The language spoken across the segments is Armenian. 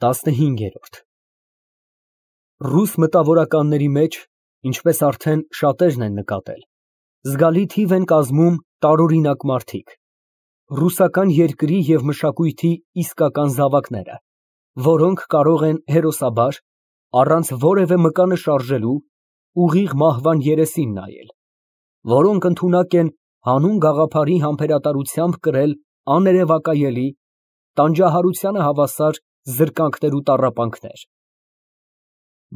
15-րդ Ռուս մտավորականների մեջ, ինչպես արդեն շատերն են նկատել, զգալի թիվ են կազմում տարօրինակ մարդիկ, ռուսական երկրի և մշակույթի իսկական զավակները, որոնք կարող են հերոսաբար, առանց որևէ մկանը շարժելու, ուղիղ մահվան երեսին նայել, որոնք ընդունակ են հանուն գաղափարի համբերատարությամբ կրել աներևակայելի, տանջահարությանը հավասար զրկանքներ ու տառապանքներ,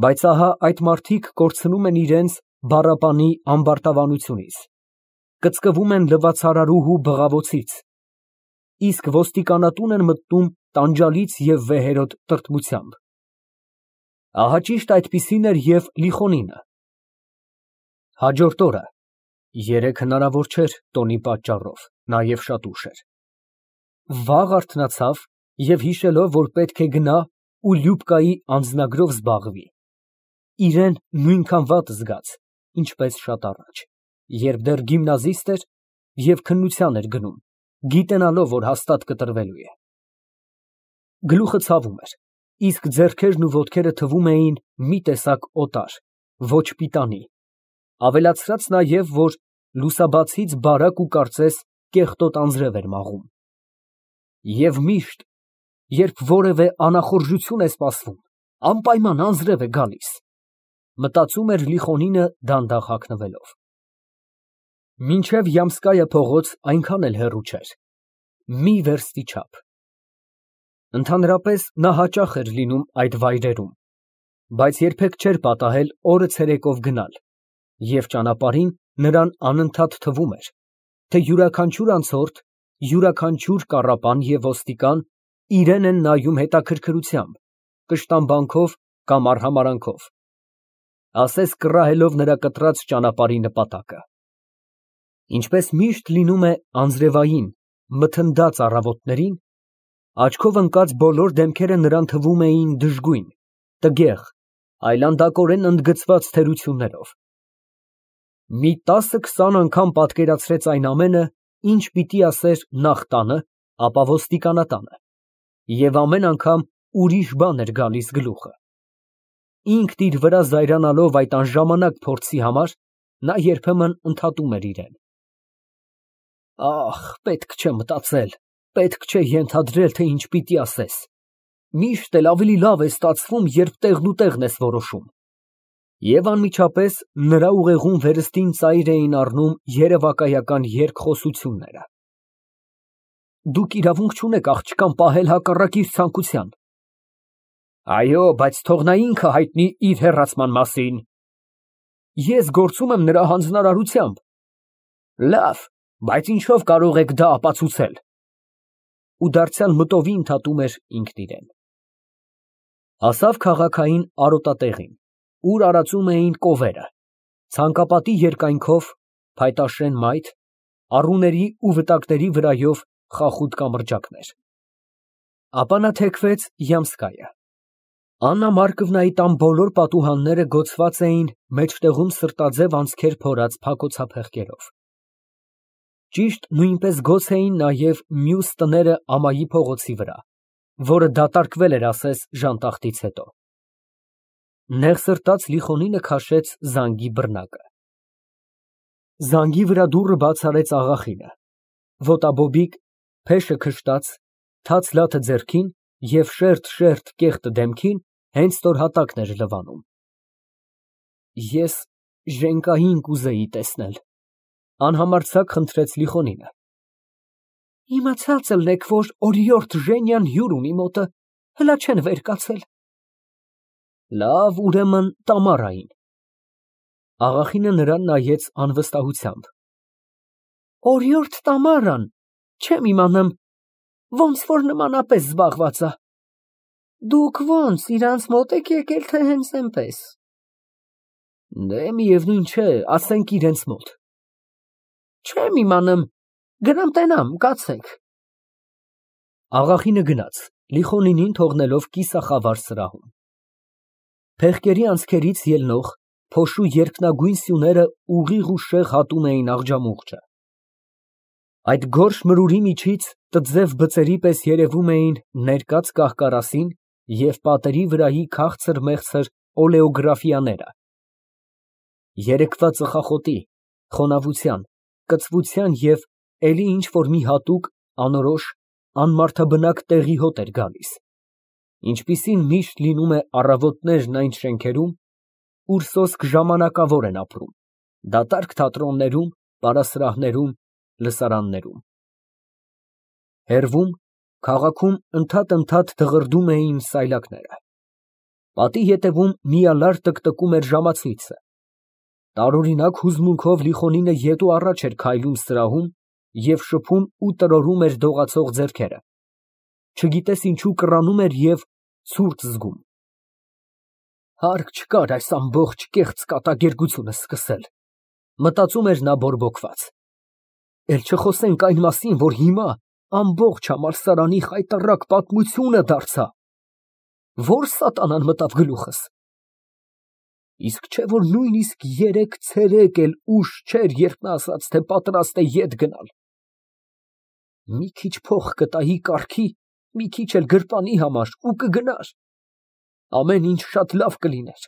բայց ահա այդ մարդիկ կորցնում են իրենց բառապանի ամբարտավանությունից, կծկվում են լվացարարուհու բղավոցից, իսկ ոստիկանատուն են մտնում տանջալից և վեհերոտ տրտմությամբ, ահա ճիշտ այդպիսին էր և Լիխոնինը, հաջորդ օրը (երեկ հնարավոր չէր տոնի պատճառով, նաև շատ ուշ էր) վաղ արթնացավ և հիշելով, որ պետք է գնա ու Լյուբկայի անձնագրով զբաղվի, իրան նույնքան վատ զգաց, ինչպես շատ առաջ, երբ դեռ գիմնազիստ էր և քննության էր գնում, գիտենալով, որ հաստատ կտրվելու է։ Գլուխը ցավում էր, իսկ ձեռքերն ու ոտքերը թվում էին մի տեսակ օտար, ոչ պիտանի, ավելացրած նաև, որ լուսաբացից բարակ ու կարծես կեղտոտ անձրև էր մաղում։ Եվ միշտ, երբ որևէ անախորժություն է սպասվում, անպայման անձրև է գալիս, մտածում էր Լիխոնինը դանդաղ հագնվելով։ Մինչև Յամսկայա փողոց այնքան էլ հեռու չէր, մի վերստի չափ։ Ընդհանրապես նա հաճախ էր լինում այդ վայրերում, բայց երբեք չէր պատահել օրը ցերեկով գնալ, և ճանապարհին նրան անընդհատ թվում էր, թե յուրաքանչյուր անցորդ, յուրաքանչյուր կառապան և ոստիկան իրան են նայում հետաքրքրությամբ, կշտամբանքով կամ արհամարհանքով, ասես կռահելով նրա կտրած ճանապարհի նպատակը։ Ինչպես միշտ լինում է անձրևային, մթնդած առավոտներին, աչքով ընկած բոլոր դեմքերը նրան թվում էին դժգույն, տգեղ, այլանդակորեն ընդգծված թերություններով։ Մի 10-20 անգամ պատկերացրեց այն ամենը, ինչ պիտի ասեր նախ տանը, ապա ոստիկանատանը, և ամեն անգամ ուրիշ բան էր գալիս գլուխը։ Ինքն իր վրա զայրանալով այդ անժամանակ փորձի համար, նա երբեմն ընդհատում էր իրան. «Ախ, պետք չէ մտածել, պետք չէ ենթադրել, թե ինչ պիտի ասես, միշտ էլ ավելի լավ է ստացվում, երբ տեղնուտեղն ես որոշում»։ Եվ անմիջապես նրա ուղեղում վերստին ծայր էին առնում երևակայական երկխոսությունները։ Դուք իրավունք չունեք աղջկան պահել հակառակ իր ցանկության։ Այո, բայց թող նա ինքը հայտնի իր հեռացման մասին։ Ես գործում եմ նրա հանձնարարությամբ։ Լավ, բայց ինչով կարող եք դա ապացուցել։ Ու դարձյալ մտովի ընդհատում էր ինքն իրեն։ Հասավ քաղաքային արոտատեղին, ուր արածում էին կովերը, ցանկապատի երկայնքով, փայտաշեն մայթ, առուների ու վտակների վրայով խախուտ կամրջակներ։ Ապա նա թեքվեց Յամսկայա։ Աննա Մարկովնայի տան բոլոր պատուհանները գոցված էին մեջտեղում սրտաձև անցքեր փորած փակոցափեղկերով։ Ճիշտ նույնպես գոց էին նաև մյուս տները ամայի փողոցի վրա, որը դատարկվել էր ասես ժանտախտից հետո։ Նեղ սրտած Լիխոնինը քաշեց զանգի բռնակը։ Զանգի վրա դուռը բաց արեց աղախինը, ոտաբոբիկ, փեշը քշտած, թաց լաթը ձեռքին և շերտ կեղտը դեմքին հենց ստորհատակն էր լվանում։ Ես Ժենկային կուզեի տեսնել, անհամարձակ խնդրեց Լիխոնինը։ Իմացած ելնեք, որ օրիորդ Ժենյան հյուր ունի մոտը, հլա չեն վեր կացել։ Լավ, ուրեմն Տամարային։ Աղախինը նրան նայեց անվստահությամբ։ Օրիորդ Տամարան, չեմ իմանում, ոնց որ նմանապես զբաղված է։ Դուք ոնց, իրանց մոտ եք եկել, թե հենց այնպես։ Դե միևնույն չէ, ասենք իրենց մոտ։ Չեմ իմանում, գնամ տենամ, կացեք։ Աղախինը գնաց, Լիխոնինին թողնելով կիսախավար սրահում։ Փեղկերի անցքերից ելնող փոշու երկնագույն սյուները ուղիղ ու շեղ հատում էին աղջամուղջը։ Այդ գորշ մրուրի միջից տձև բծերի պես երևում էին ներկած կահկարասին և պատերի վրայի քաղցր֊մեղցր օլեոգրաֆիաները։ Երեկվա ծխախոտի, խոնավության, կծվության և էլի ինչ֊որ մի հատուկ, անորոշ, անմարդաբնակ տեղի հոտ էր գալիս, ինչպիսին միշտ լինում է առավոտներն այն շենքերում, ուր սոսկ ժամանակավոր են ապրում, դատարկ թատրոններում, պարասրահներում, լսարաններում։ Հեռվում, քաղաքում ընդհատ դղրդում էին սայլակները։ Պատի ետևում միալար տկտկում էր ժամացույցը։ Տարօրինակ հուզմունքով Լիխոնինը ետ ու առաջ էր քայլում սրահում և շփում ու տրորում էր դողացող ձեռքերը, չգիտես ինչու կռանում էր և ցուրտ զգում։ Հարկ չկար այս ամբողջ կեղծ կատակերգությունը սկսել, մտածում էր նա բորբոքված։ Էլ չխոսենք այն մասին, որ հիմա ամբողջ համալսարանի խայտառակ պատմությունը դարձա։ Ո՞ր սատանան մտավ գլուխս։ Իսկ չէ՞ որ նույնիսկ երեկ ցերեկ էլ ուշ չէր, երբ նա ասաց, թե պատրաստ է ետ գնալ։ Մի քիչ փող կտայի կառքի, մի քիչ էլ գրպանի համար ու կգնար։ Ամեն ինչ շատ լավ կլիներ։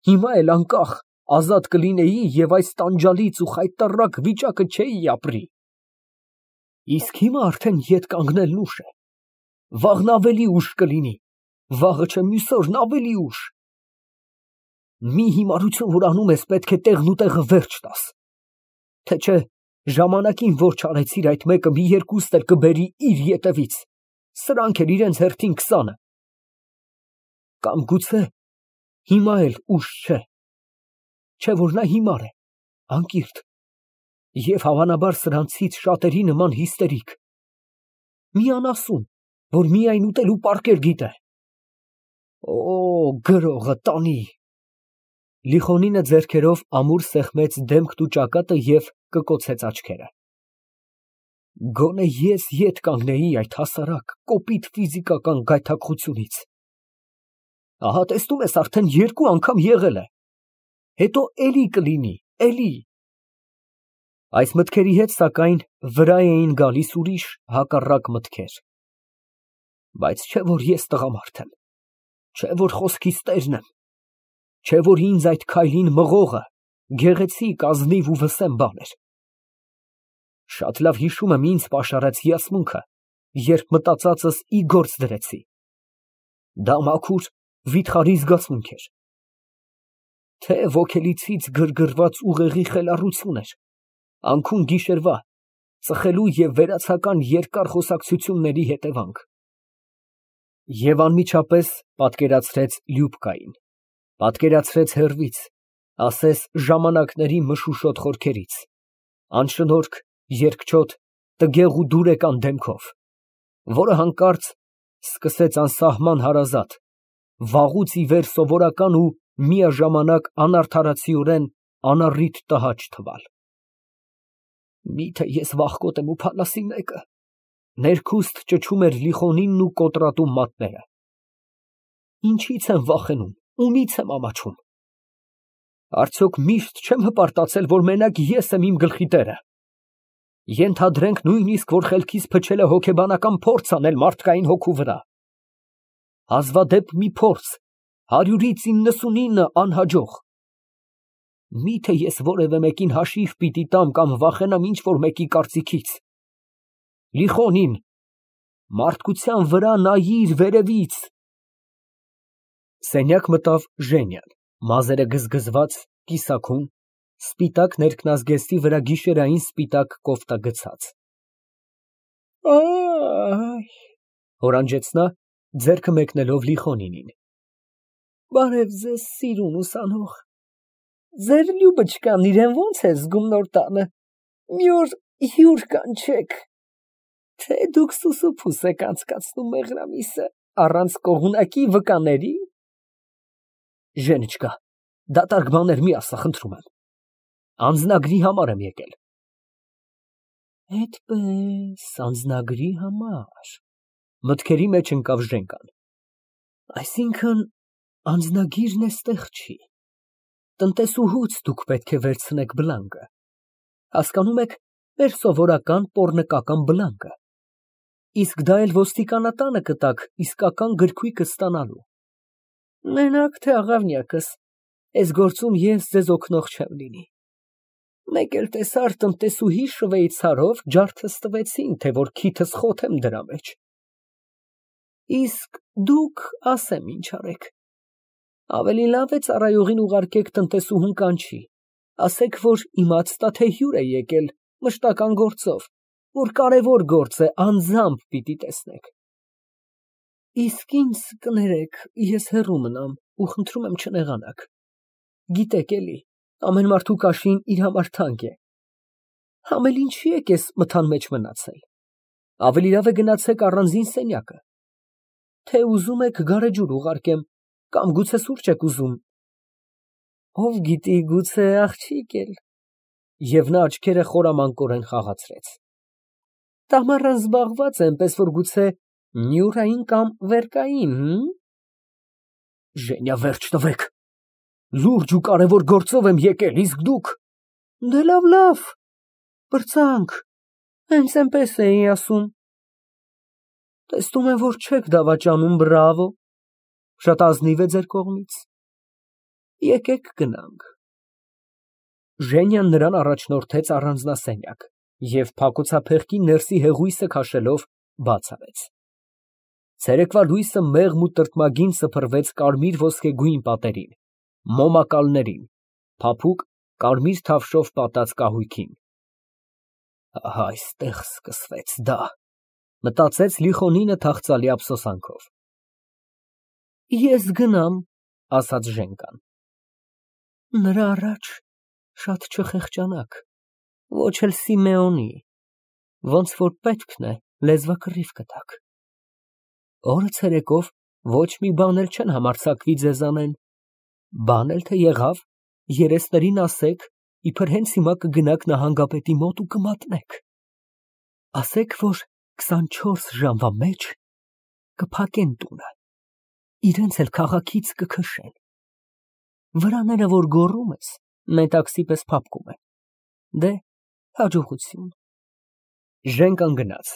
Հիմա էլ անկախ, ազատ կլինեի և այս տանջալից ու խայտառակ վիճակը չէի ապրի։ Իսկ հիմա արդեն ետ կանգնելն ուշ է։ Վաղն ավելի ուշ կլինի, վաղը չէ մյուս օրն ավելի ուշ։ Մի հիմարություն, որ անում ես, պետք է տեղն ու տեղը վերջ տաս։ Թե չէ, ժամանակին որ չարեցիր այդ մեկը, մի երկուստ էլ կբերի իր ետևից, սրանք էլ իրենց հերթին 20-ը։ Կամ գուցե հիմա էլ ուշ չէ։ Չէ որ նա հիմար է, անկիրք և հավանաբար սրանցից շատերի նման հիստերիկ։ Մի անասուն, որ միայն ուտել ու պառկել գիտե։ Օ, գրողը տանի։ Լիխոնինը ձեռքերով ամուր սեղմեց դեմքն ու ճակատը և կկոցեց աչքերը։ Գոնե ես ետ կանգնեի այդ հասարակ, կոպիտ ֆիզիկական գայթակղությունից։ Ահա տեսնում ես, արդեն 2 անգամ եղել է։ Հետո էլի կլինի, էլի։ Այս մտքերի հետ, սակայն, վրա էին գալիս ուրիշ հակառակ մտքեր։ Բայց չէ որ ես տղամարդ եմ, չէ որ խոսքիս տերն եմ, չէ որ ինձ այդ քայլին մղողը գեղեցիկ, ազնիվ ու վսեմ բան էր։ Շատ լավ հիշում եմ ինձ պաշարած հիացմունքը, երբ մտածածս ի գործ դրեցի։ Դա մաքուր, վիթխարի զգացմունք էր։ Թե ոգելիցից գրգռված ուղեղի խելառություն էր, անքուն գիշերվա, ծխելու և վերացական երկար խոսակցությունների հետևանք։ Եվ անմիջապես պատկերացրեց Լյուբկային, պատկերացրեց հեռվից, ասես ժամանակների մշուշոտ խորքերից, անշնորհք, երկչոտ, տգեղ ու դուրեկան դեմքով, որը հանկարծ սկսեց անսահման հարազատ, վաղուց ի վեր սովորական ու միաժամանակ անարդարացիորեն անառիթ տհաճ թվալ։ Միթե ես վախկոտ եմ ու փալասի մեկը, ներքուստ ճչում էր Լիխոնինն ու կոտրատում մատները։ Ինչի՞ց եմ վախենում, ումի՞ց եմ ամաչում։ Արդյոք միշտ չեմ հպարտացել, որ մենակ ես եմ իմ գլխի տերը։ Ենթադրենք նույնիսկ, որ խելքիս փչել է հոգեբանական փորձ անել մարդկային հոգու վրա։ Հազվադեպ մի փորձ, 100-ից 99 անհաջող։ Միթե ես որևէ մեկին հաշիվ պիտի տամ կամ վախենամ ինչ֊որ մեկի կարծիքից։ Լիխոնին, մարդկության վրա նայիր վերևից։ Սենյակ մտավ Ժենյան, մազերը գզգզված, կիսաքուն, սպիտակ ներքնազգեստի վրա գիշերային սպիտակ կոֆտա գցած։ Հորանջեց նա, ձեռքը մեկնելով Լիխոնինին։ Բարև ձեզ, սիրուն ուսանող։ Ձեր Լյուբочкան իրեն ո՞նց է զգում նոր տանը։ Մի օր հյուր կանչեք։ Թե դուք սուսուփուս եք անցկացնում մեղրամիսը առանց կողմնակի վկաների։ Ժենիչկա, դատարկ բաներ մի ասա, խնդրում եմ։ Անձնագրի համար եմ եկել։ Այդպես, անձնագրի համար։ Մտքերի մեջ ընկավ Ժենկան։ Այսինքն, անձնագիրն էստեղ չի։ Տնտեսուհուց դուք պետք է վերցնեք բլանկը։ Հասկանում եք, մեր սովորական պոռնկական բլանկը։ Իսկ դա էլ ոստիկանատանը կտաք իսկական գրքույկը ստանալու։ Մենակ թե աղավնյակս, այս գործում ես ձեզ օգնող չեմ լինի։ Մեկ էլ տեսար տնտեսուհի շվեյցարով ջարդս տվեցին, թե որ քիթս խոթեմ դրա մեջ։ Իսկ դուք ասեմ ինչ արեք։ Ավելի լավ է ծառայողին ուղարկեք տնտեսուհուն կանչի, ասեք, որ իմացա, թե հյուր է եկել մշտական գործով, որ կարևոր գործ է, անձամբ պիտի տեսնեք։ Իսկ ինձ կներեք, ես հեռու մնամ ու խնդրում եմ չնեղանաք։ Գիտեք էլի, ամեն մարդու կաշին իր համար թանկ է։ Համ էլ ինչի եք ես մթան մեջ մնացել։ Ավելի լավ է գնացեք առանձին սենյակը։ Թե ուզում եք գարեջուր ուղարկեմ, կամ գուցե սուրճ եք ուզում։ Ով գիտի, գուցե աղջիկ էլ։ Եվ նա աչքերը խորամանկորեն խաղացրեց։ Տամարան զբաղված է, այնպես որ գուցե նյուրային կամ վերկային։ Ժենյա, վերջ տվեք։ Լուրջ ու կարևոր գործով եմ եկել, իսկ դուք։ Դե լավ, պրծանք, հենց այնպես էի ասում։ Տեսնում եմ, որ չեք դավաճանում, բրավո, շատ ազնիվ է ձեր կողմից։ Եկեք գնանք։ Ժենյան նրան առաջնորդեց առանձնասենյակ և փակոցափեղկի ներսի հեղույսը քաշելով բաց արեց։ Ցերեկվա լույսը մեղմ ու տրտմագին սփռվեց կարմիր ոսկեգույն պատերին, մոմակալներին, փափուկ կարմիր թավշով պատած կահույքին։ Ահա այստեղ սկսվեց դա, մտածեց Լիխոնինը թախծալի ափսոսանքով։ Ես գնամ, ասաց Ժենկան։ Նրա առաջ շատ չխեղճանաք, ոչ էլ Սիմեոնի, ոնց որ պետքն է, լեզվակռիվ կտաք։ Օրը ցերեկով ոչ մի բան էլ չեն համարձակվի ձեզ անեն, բան էլ թե եղավ, երեսներին ասեք, իբր հենց հիմա կգնաք նահանգապետի մոտ ու կմատնեք։ Ասեք, որ 24 ժամվա մեջ կփակեն տունը, իրենց էլ քաղաքից կքշեն։ Վրաները, որ գոռում ես, մետաքսի պես փափկում են։ Դե, հաջողություն։ Ժենկան գնաց։